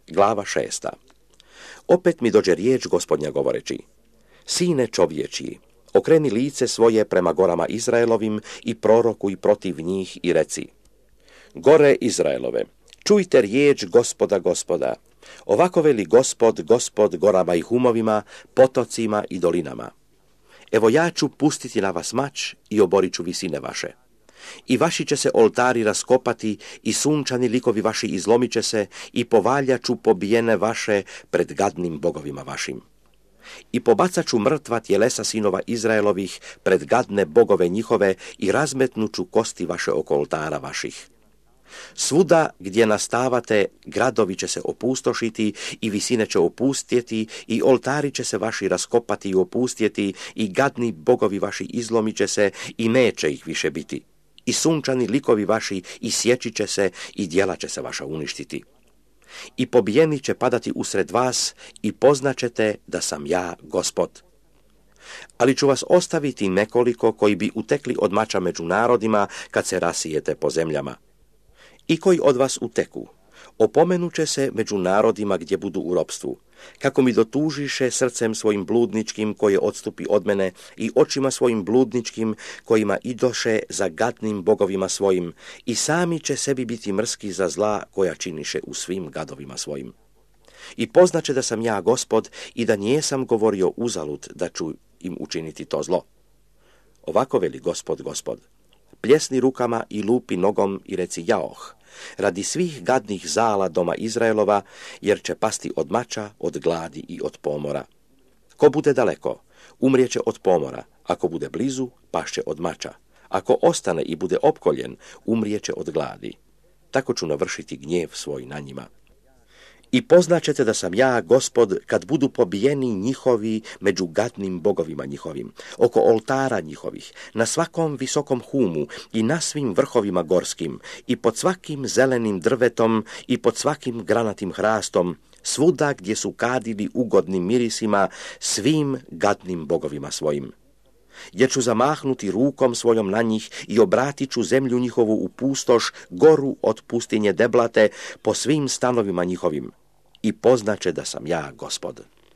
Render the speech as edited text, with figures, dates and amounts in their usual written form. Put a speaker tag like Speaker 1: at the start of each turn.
Speaker 1: Glava 6. Opet mi dođe riječ Gospodnja govoreći: Sine čovječji, okreni lice svoje prema gorama Izraelovim i prorokuj protiv njih i reci: Gore Izraelove, čujte riječ Gospoda Gospoda. Ovako veli Gospod gorama i humovima, potocima i dolinama. Evo ja ću pustiti na vas mač i oborit ću visine vaše. I vaši će se oltari raskopati i sunčani likovi vaši izlomit će se i povaljat ću pobijene vaše pred gadnim bogovima vašim. I pobacat ću mrtva tjelesa sinova Izraelovih pred gadne bogove njihove i razmetnut ću kosti vaše oko oltara vaših. Svuda gdje nastavate, gradovi će se opustošiti i visine će opustjeti i oltari će se vaši raskopati i opustjeti i gadni bogovi vaši izlomit će se i neće ih više biti. I sunčani likovi vaši isjeći će se i djela će se vaša uništiti. I pobijeni će padati usred vas i poznaćete da sam ja Gospod. Ali ću vas ostaviti nekoliko koji bi utekli od mača među narodima kad se rasijete po zemljama. I koji od vas uteku, opomenut će se među narodima gdje budu u ropstvu, kako mi dotužiše srcem svojim bludničkim koje odstupi od mene i očima svojim bludničkim kojima idoše za gadnim bogovima svojim i sami će sebi biti mrski za zla koja činiše u svim gadovima svojim. I poznaće da sam ja Gospod i da nijesam govorio uzalud da ću im učiniti to zlo. Ovako veli Gospod: pljesni rukama i lupi nogom i reci jaoh, radi svih gadnih zala doma Izraelova, jer će pasti od mača, od gladi i od pomora. Ko bude daleko, umrijeće od pomora, ako bude blizu, pašće od mača. Ako ostane i bude opkoljen, umrijeće od gladi. Tako ću navršiti gnjev svoj na njima. I poznaćete da sam ja Gospod kad budu pobijeni njihovi među gadnim bogovima njihovim, oko oltara njihovih, na svakom visokom humu i na svim vrhovima gorskim, i pod svakim zelenim drvetom i pod svakim granatim hrastom, svuda gdje su kadili ugodnim mirisima svim gadnim bogovima svojim. Jer ću zamahnuti rukom svojom na njih i obratit ću zemlju njihovu u pustoš, goru od pustinje deblate po svim stanovima njihovim. I poznaće da sam ja Gospod.